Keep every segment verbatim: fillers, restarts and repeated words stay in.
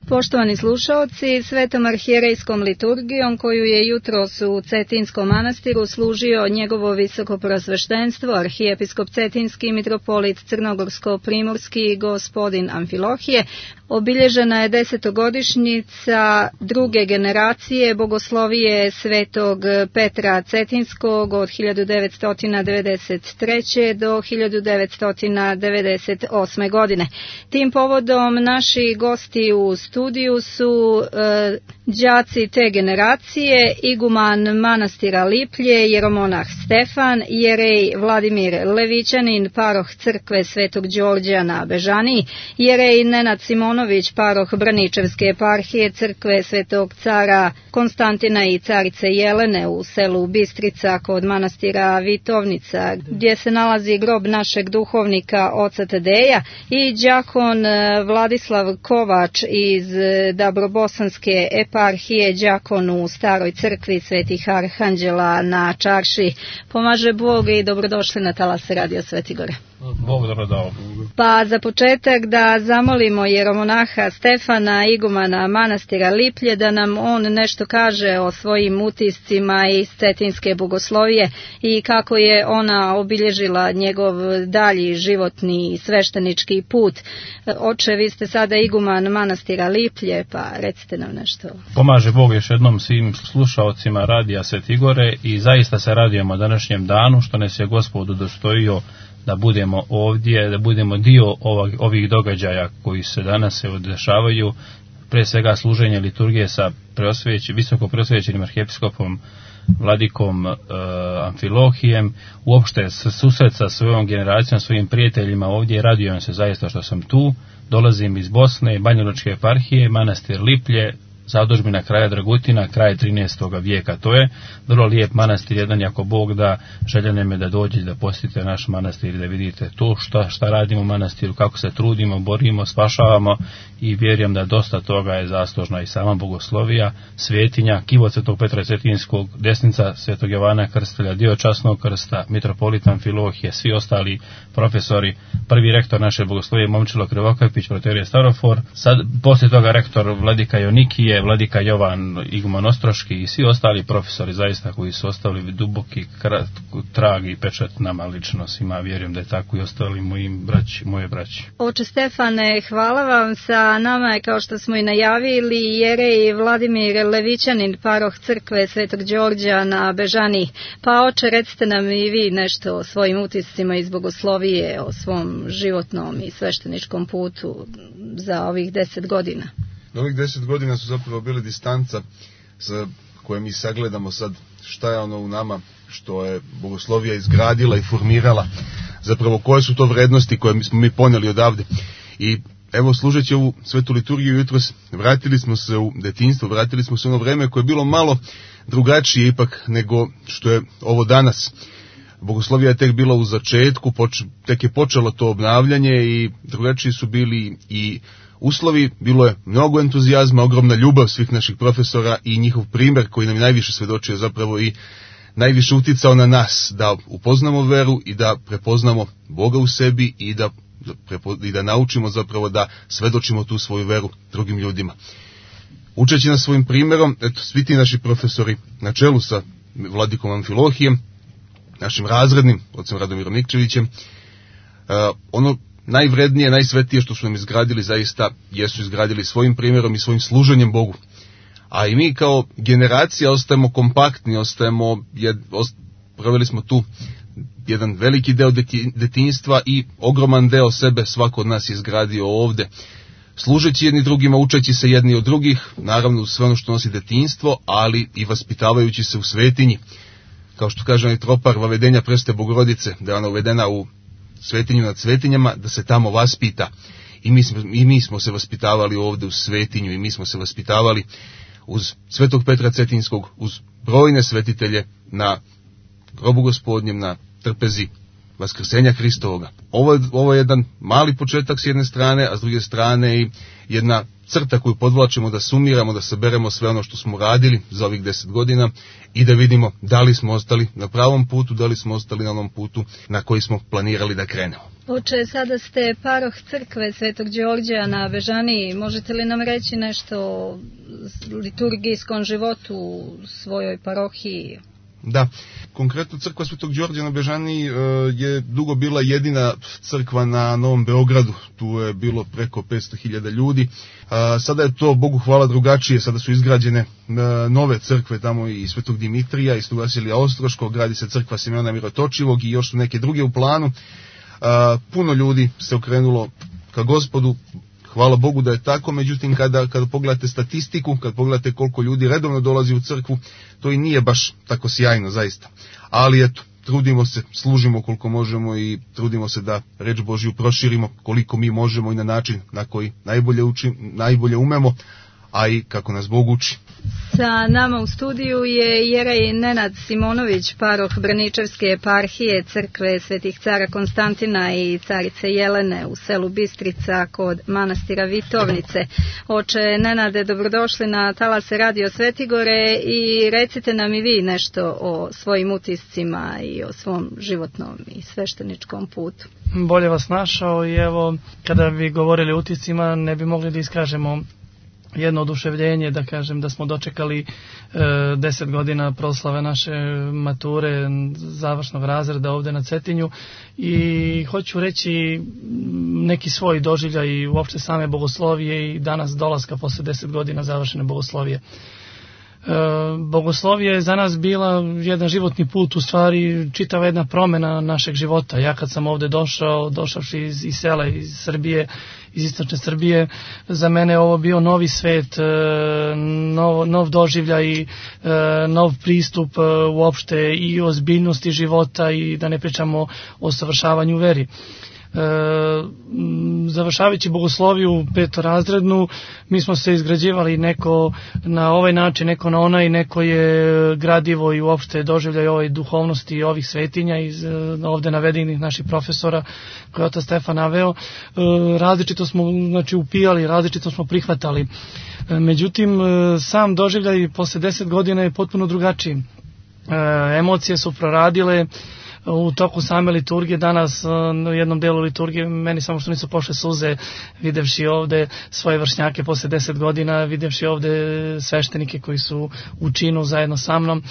Poštovani slušaoci, svetom arhijerejskom liturgijom koju je jutros u Cetinskom manastiru služio njegovo visoko prosveštenstvo, arhijepiskop Cetinski mitropolit Crnogorsko-primorski gospodin Amfilohije, obilježena je desetogodišnjica druge generacije bogoslovije svetog Petra Cetinskog od hiljadu devetsto devedeset treće. do hiljadu devetsto devedeset osme. godine. Tim povodom naši gosti u studiju su e, đaci te generacije, iguman manastira Liplje, jeromonah Stefan, jerej Vladimir Levićanin, paroh crkve Svetog Đorđa na Bežaniji, jerej Nenad Simonović, paroh Braničevske eparhije crkve Svetog cara Konstantina i carice Jelene u selu Bistrica kod manastira Vitovnica, gdje se nalazi grob našeg duhovnika oca Tadeja, i đakon Vladislav Kovač iz Dabrobosanske eparhije, đakon u staroj crkvi Svetih Arhanđela na Čarši. Pomaže Bog i dobrodošli na talas Radio Sveti Gore. Bog dobro dao. Pa za početak da zamolimo jeromonaha Stefana, igumana manastira Liplje, da nam on nešto kaže o svojim utiscima iz cetinske bogoslovije i kako je ona obilježila njegov dalji životni i sveštenički put. Oče, vi ste sada iguman manastira Liplje, pa recite nam nešto. Pomaže Bog još jednom svim slušaocima Radija Sveti Gore i zaista se radujemo današnjem danu što nas je Gospod udostojio da budemo ovdje, da budemo dio ovog, ovih događaja koji se danas se dešavaju, pre svega služenje liturgije sa preosveć, visoko preosvećenim arhijepiskopom Vladikom e, Amfilohijem, uopšte susret sa svojom generacijom, svojim prijateljima ovdje. Radujem se zaista što sam tu. Dolazim iz Bosne, Banjalučke eparhije, manastir Liplje, zadužbina kraja Dragutina, kraj trinaestog vijeka. To je vrlo lijep manastir, jedan jako Bog da, želja nam je da dođete da posjetite naš manastir i da vidite to šta, šta radimo u manastiru, kako se trudimo, borimo, spašavamo, i vjerujem da dosta toga je zaslužna i sama bogoslovija, svetinja, kivo Svetog Petra Cetinskog, desnica Svetog Jovana Krstelja, dio časnog krsta, mitropolit Amfilohije, svi ostali profesori, prvi rektor naše bogoslovije Momčilo Krivokapić, proterije Starofor, sad poslije toga rektor Vladika Jonikije, Vladika Jovan Iguman Ostroški i svi ostali profesori zaista koji su ostavili duboki trag i pečat nama lično svima. Vjerujem da je tako i ostali mojim braći, moje braći. Oče Stefane, hvala vam. Sa nama je, kao što smo i najavili, jerej Vladimir Levićanin, paroh crkve Svetog Đorđa na Bežaniji. Pa oče, recite nam i vi nešto o svojim utiscima iz bogoslovije, o svom životnom i svešteničkom putu za ovih deset godina. Ovih deset godina su zapravo bili distanca sa koje mi sagledamo sad šta je ono u nama što je bogoslovija izgradila i formirala, zapravo koje su to vrednosti koje smo mi ponijeli odavde. I evo, služeći ovu svetu liturgiju jutros, vratili smo se u detinjstvo, vratili smo se u ono vreme koje je bilo malo drugačije ipak nego što je ovo danas. Bogoslovija je tek bila u začetku, poč, tek je počelo to obnavljanje i drugačiji su bili i uslovi, bilo je mnogo entuzijazma, ogromna ljubav svih naših profesora i njihov primjer koji nam je najviše svedočio zapravo i najviše uticao na nas da upoznamo veru i da prepoznamo Boga u sebi i da, i da naučimo zapravo da svedočimo tu svoju veru drugim ljudima. Učeći nas svojim primjerom, eto, svi ti naši profesori na čelu sa Vladikom Amfilohijem, našim razrednim, ocem Radomirom Nikčevićem, uh, ono najvrednije, najsvetije što su nam izgradili zaista jesu izgradili svojim primjerom i svojim služenjem Bogu. A i mi kao generacija ostajemo kompaktni, ostajemo, jed, ost, proveli smo tu jedan veliki deo deti, detinjstva i ogroman deo sebe svako od nas je izgradio ovde. Služeći jedni drugima, učeći se jedni od drugih, naravno sve ono što nosi detinjstvo, ali i vaspitavajući se u svetinji. Kao što kaže onaj tropar Vavedenja Preste Bogorodice, da je ona uvedena u svetinju nad svetinjama, da se tamo vaspita. I mi, smo, I mi smo se vaspitavali ovde u svetinju, i mi smo se vaspitavali uz Svetog Petra Cetinskog, uz brojne svetitelje na grobu Gospodnjem, na trpezi Vaskrsenja Hristovoga. Ovo je, ovo je jedan mali početak s jedne strane, a s druge strane i jedna crta koju podvlačimo, da sumiramo, da saberemo sve ono što smo radili za ovih deset godina i da vidimo da li smo ostali na pravom putu, da li smo ostali na onom putu na koji smo planirali da krenemo. Oče, sada ste paroh crkve Svetog Đorđa na Bežaniji. Možete li nam reći nešto o liturgijskom životu u svojoj parohiji? Da, konkretno crkva Svetog Đorđa na Bežaniji e, je dugo bila jedina crkva na Novom Beogradu, tu je bilo preko petsto hiljada ljudi. A, sada je to, Bogu hvala, drugačije, sada su izgrađene e, nove crkve, tamo i Svetog Dimitrija i Svetog Vasilija Ostroškog, gradi se crkva Simeona Mirotočivog i još su neke druge u planu. A, puno ljudi se okrenulo ka Gospodu, hvala Bogu da je tako, međutim kada, kada pogledate statistiku, kad pogledate koliko ljudi redovno dolazi u crkvu, to i nije baš tako sjajno zaista. Ali eto, trudimo se, služimo koliko možemo i trudimo se da reč Božju proširimo koliko mi možemo i na način na koji najbolje, učim, najbolje umemo, a i kako nas Bog uči. Sa nama u studiju je jerej Nenad Simonović, paroh Braničevske eparhije crkve Svetih cara Konstantina i carice Jelene u selu Bistrica kod manastira Vitovnice. Oče Nenade, dobrodošli na talase Radio Svetigore i recite nam i vi nešto o svojim utiscima i o svom životnom i svešteničkom putu. Bolje vas našao i evo, kada bi govorili o utiscima, ne bi mogli da iskažemo jedno oduševljenje, da kažem da smo dočekali e, deset godina proslave naše mature završnog razreda ovde na Cetinju i hoću reći neki svoj doživljaj i uopšte same bogoslovije i danas dolaska posle deset godina završene bogoslovije. E, bogoslovije je za nas bila jedan životni put, u stvari čitava jedna promena našeg života. Ja kad sam ovde došao, došavši iz, iz sela, iz Srbije, iz istočne Srbije, za mene je ovo bio novi svet, nov, nov doživljaj, nov pristup uopšte i ozbiljnosti života i da ne pričamo o savršavanju veri. E, završavajući bogosloviju petorazrednu, mi smo se izgrađivali neko na ovaj način, neko na onaj, neko je gradivo i uopšte doživljaj ovoj duhovnosti i ovih svetinja iz ovde navedenih naših profesora koje je otac Stefan naveo. E, različito smo znači upijali, različito smo prihvatali. E, međutim, sam doživljaj posle deset godina je potpuno drugačiji. E, emocije su proradile u toku same liturgije. Danas u jednom delu liturgije meni samo što nisu pošle suze videvši ovde svoje vršnjake posle deset godina, videvši ovde sveštenike koji su u činu zajedno sa mnom,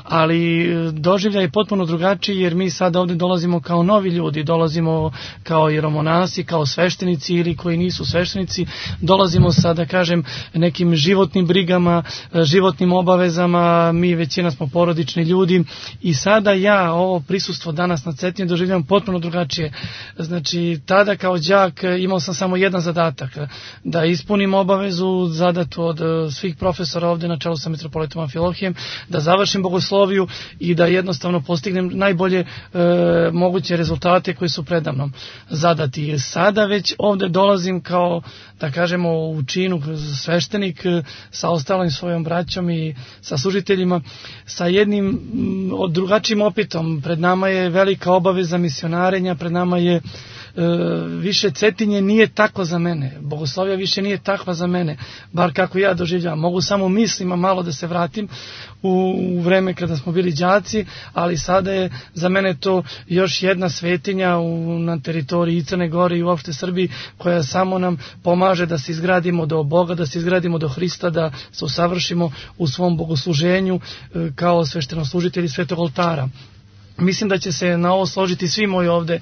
ali doživljaj je potpuno drugačiji jer mi sada ovde dolazimo kao novi ljudi, dolazimo kao jeromonasi, kao sveštenici ili koji nisu sveštenici, dolazimo sa, da kažem, nekim životnim brigama, životnim obavezama, mi većina smo porodični ljudi i sada ja ovo prisustvo danas na Cetinju doživljavam potpuno drugačije. Znači, tada kao đak imao sam samo jedan zadatak, da ispunim obavezu zadatu od svih profesora ovde na čelu sa mitropolitom Amfilohijem, da završim bogosloviju i da jednostavno postignem najbolje e, moguće rezultate koji su predamnom zadati. Sada već ovde dolazim kao, da kažemo, u činu sveštenik sa ostalim svojom braćom i sa služiteljima, sa jednim od drugačijim opitom. Pred nama je velika obaveza misionarenja, pred nama je e, više Cetinje nije tako za mene, bogoslovija više nije takva za mene, bar kako ja doživljavam. Mogu samo mislima malo da se vratim u, u vreme kada smo bili đaci, ali sada je za mene to još jedna svetinja u, na teritoriji i Crne Gore i uopšte Srbiji, koja samo nam pomaže da se izgradimo do Boga, da se izgradimo do Hrista, da se usavršimo u svom bogosluženju e, kao sveštenoslužitelji Svetog oltara. Mislim da će se na ovo složiti svi moji ovde e,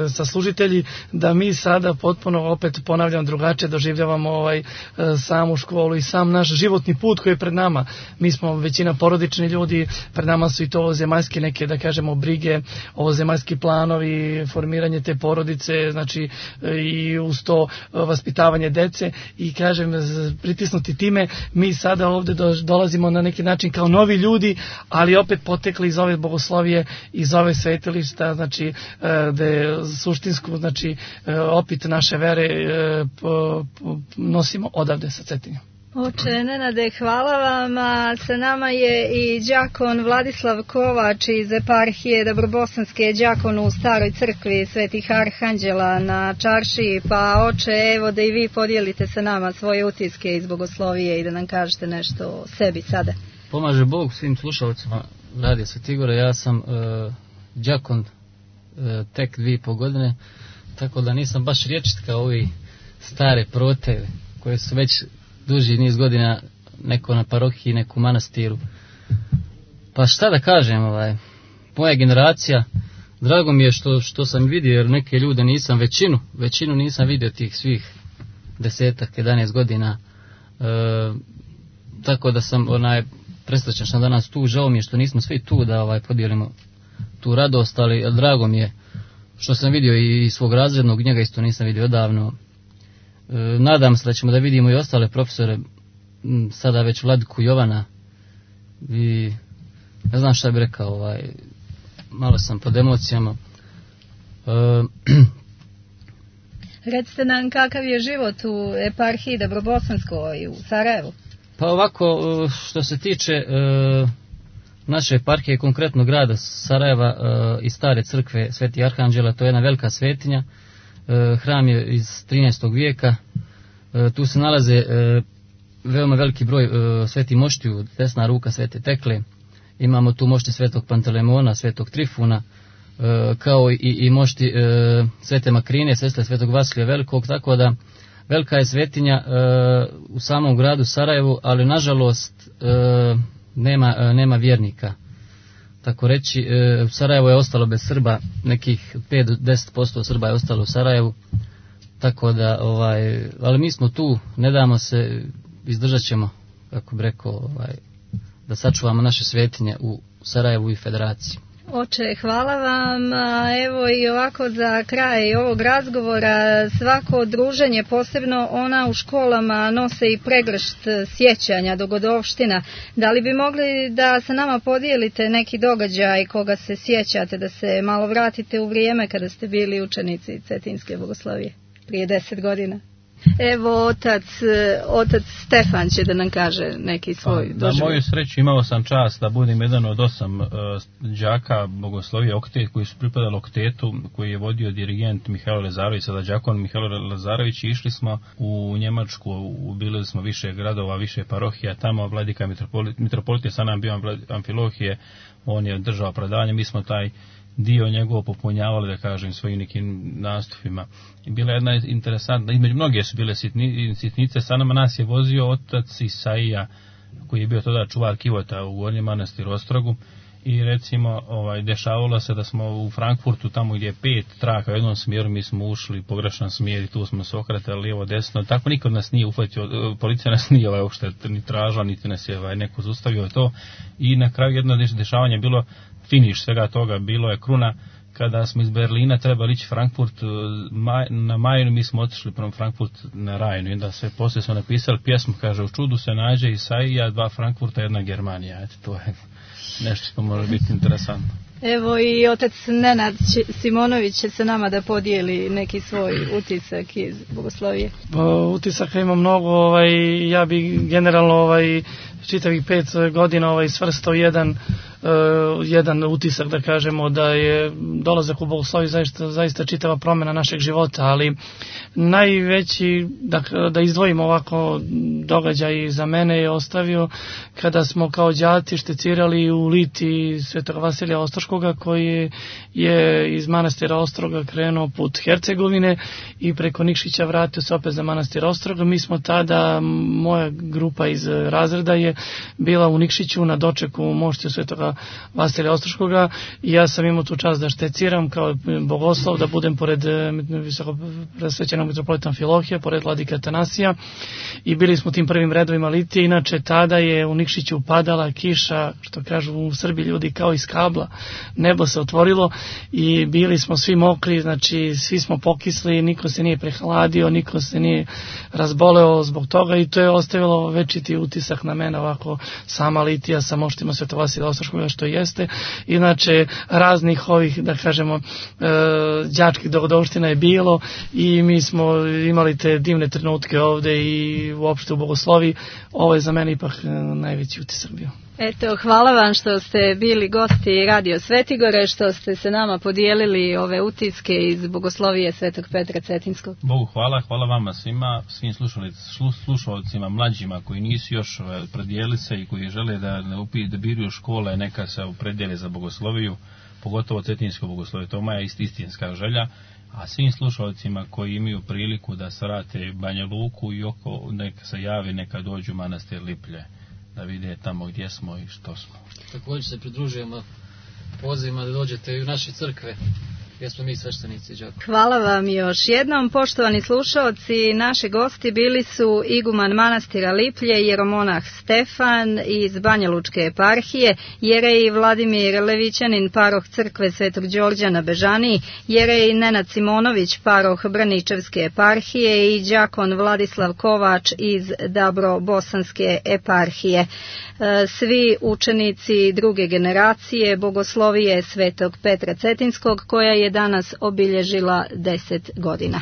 saslužitelji, da mi sada potpuno, opet ponavljam, drugačije doživljavamo ovaj e, samu školu i sam naš životni put koji je pred nama. Mi smo većina porodični ljudi, pred nama su i to ovozemaljske neke, da kažemo, brige, ovozemaljski planovi, formiranje te porodice, znači e, i uz to e, vaspitavanje dece i, kažem, pritisnuti time, mi sada ovde do, dolazimo na neki način kao novi ljudi, ali opet potekli iz ove bogoslovije, iz ove svetilišta, znači da je suštinsku, znači opet naše vere nosimo odavde sa Cetinja. Oče Nenade, hvala vam. A sa nama je i đakon Vladislav Kovač iz eparhije Dobrobosanske, đakon u Staroj crkvi Svetih Arhanđela na Čaršiji. Pa oče, evo da i vi podijelite sa nama svoje utiske iz bogoslovije i da nam kažete nešto o sebi sada. Pomaže Bog svim slušalcima Radija Svetih Igora. Ja sam e, đakon e, tek dvije i po godine, tako da nisam baš rječit kao ovi stare prote koje su već duži niz godina neko na parohiji, neku manastiru. Pa šta da kažem, ovaj, moja generacija, drago mi je što, što sam vidio, jer neke ljude nisam, većinu, većinu nisam vidio tih svih desetak, jedanaest godina, e, tako da sam onaj, presrećan sam danas tu, žao mi je što nismo svi tu da ovaj, podijelimo tu radost, ali drago mi je što sam vidio i svog razrednog, njega isto nisam vidio odavno. E, nadam se da ćemo da vidimo i ostale profesore, sada već Vladiku Jovana, i ne znam šta bih rekao, ovaj, malo sam pod emocijama. E, Recite nam kakav je život u eparhiji Dobrobosanskoj u Sarajevu. Pa ovako, što se tiče e, naše eparhije, konkretno grada Sarajeva e, i Stare crkve Svetih Arhanđela, to je jedna velika svetinja. E, hram je iz trinaestog vijeka. E, tu se nalaze e, veoma veliki broj e, svetih moštiju, desna ruka Svete Tekle. Imamo tu mošti Svetog Pantelemona, Svetog Trifuna, e, kao i, i mošti e, Svete Makrine, sestre Svetog Vasilija Velikog, tako da velika je svetinja e, u samom gradu Sarajevu, ali nažalost e, nema, e, nema vjernika. Tako reći, e, Sarajevo je ostalo bez Srba, nekih pet do deset posto Srba je ostalo u Sarajevu, tako da, ovaj, ali mi smo tu, ne damo se, izdržat ćemo, kako bi rekao, ovaj, da sačuvamo naše svetinje u Sarajevu i Federaciji. Oče, hvala vam. Evo i ovako za kraj ovog razgovora, svako druženje, posebno ona u školama, nose i pregršt sjećanja, dogodovština. Da li bi mogli da sa nama podijelite neki događaj koga se sjećate, da se malo vratite u vrijeme kada ste bili učenici Cetinske bogoslovije prije deset godina? Evo, otac, otac Stefan će da nam kaže neki svoj pa, doživljaj. Na moju sreću imao sam čast da budem jedan od osam uh, đaka bogoslovije oktet koji su pripadali oktetu, koji je vodio dirigent Mihajlo Lazarević, sada đakon Mihajlo Lazarević, i išli smo u Njemačku, ubili smo više gradova, više parohija, tamo vladika mitropolit, mitropolit je sa nam bio Amfilohije, on je držao predavanje, mi smo taj dio njegovo popunjavali, da kažem, svojim nekim nastupima. I bila jedna interesantna, između mnoge su bile sitni, sitnice, sa nama nas je vozio otac Isaija, koji je bio tada čuvar kivota u Gornjem Manastiru Ostrogu, i recimo ovaj, dešavalo se da smo u Frankfurtu, tamo gdje je pet traka u jednom smjeru, mi smo ušli u pogrešan smjer i tu smo se okretali lijevo desno, tako niko nas nije uhvatio, policija nas nije ovaj, uopšte ni tražila, niti nas je ovaj, neko zustavio to, i na kraju jedno dešavanje bilo finiš svega toga, bilo je kruna kada smo iz Berlina trebali ići Frankfurt maj, na Majinu, mi smo otišli prema Frankfurt na Rajnu, i onda se poslije smo napisali pjesmu, kaže, u čudu se nađe Isaija, dva Frankfurta, jedna Germanija. Eto, to je nešto što može biti interesantno. Evo i otac Nenad Simonović će se nama da podijeli neki svoj utisak iz bogoslovije. Utisaka ima mnogo, ovaj, ja bi generalno ovaj, čitavih pet godina ovaj, svrstao jedan, uh, jedan utisak, da kažemo, da je dolazak u bogosloviju zaista, zaista čitava promjena našeg života, ali najveći, da, da izdvojimo ovako događaj za mene, je ostavio kada smo kao đaci štecirali u Liti Svetog Vasilija Ostroškoga, koji je iz manastira Ostroga krenuo put Hercegovine i preko Nikšića vratio se opet za manastir Ostroga. Mi smo tada, moja grupa iz razreda je bila u Nikšiću na dočeku moštiju Svetoga Vasilija Ostroškoga, i ja sam imao tu čast da šteciram kao bogoslov, da budem pored visoko presvećenog mitropolita Amfilohija, pored vladike Atanasija, i bili smo u tim prvim redovima litije. Inače tada je u Nikšiću padala kiša, što kažu u Srbiji ljudi, kao iz kabla, nebo se otvorilo i bili smo svi mokri, znači svi smo pokisli, niko se nije prehladio, niko se nije razboleo zbog toga, i to je ostavilo večiti utisak na mene, ovako sama litija sa moštima Svetog Vasilija Ostroškoga onoga što jeste. Inače, raznih ovih, da kažemo, đačkih dogodovština je bilo i mi smo imali te divne trenutke ovde i uopšte u Bogosloviji. Ovo je za mene ipak najveći utisak bio. Eto, hvala vam što ste bili gosti Radio Svetigore, što ste se nama podijelili ove utiske iz Bogoslovije Svetog Petra Cetinskog. Bogu hvala, hvala vama svima, svim slušalcima, mlađima koji nisu još predijeli se i koji žele da, da biruju škole, neka se opredijeli za Bogosloviju, pogotovo Cetinsko Bogoslovije, to je moja istinska želja. A svim slušalcima koji imaju priliku da se vrate Banja Luku i oko, neka se javi, neka dođu u manastir Liplje, da vide tamo gdje smo i što smo. Također se pridružujemo pozivima da dođete i u naše crkve, gdje smo mi sveštenici đakovi. Hvala vam još jednom, poštovani slušaoci. Naši gosti bili su iguman manastira Liplje, jeromonah Stefan iz Banja Lučke eparhije, jerej Vladimir Levićanin, paroh crkve Svetog Đorđa na Bežaniji, jerej Nenad Simonović, paroh Braničevske eparhije i đakon Vladislav Kovač iz Dabro-Bosanske eparhije. Svi učenici druge generacije Bogoslovije Svetog Petra Cetinskog, koja je danas obilježila deset godina.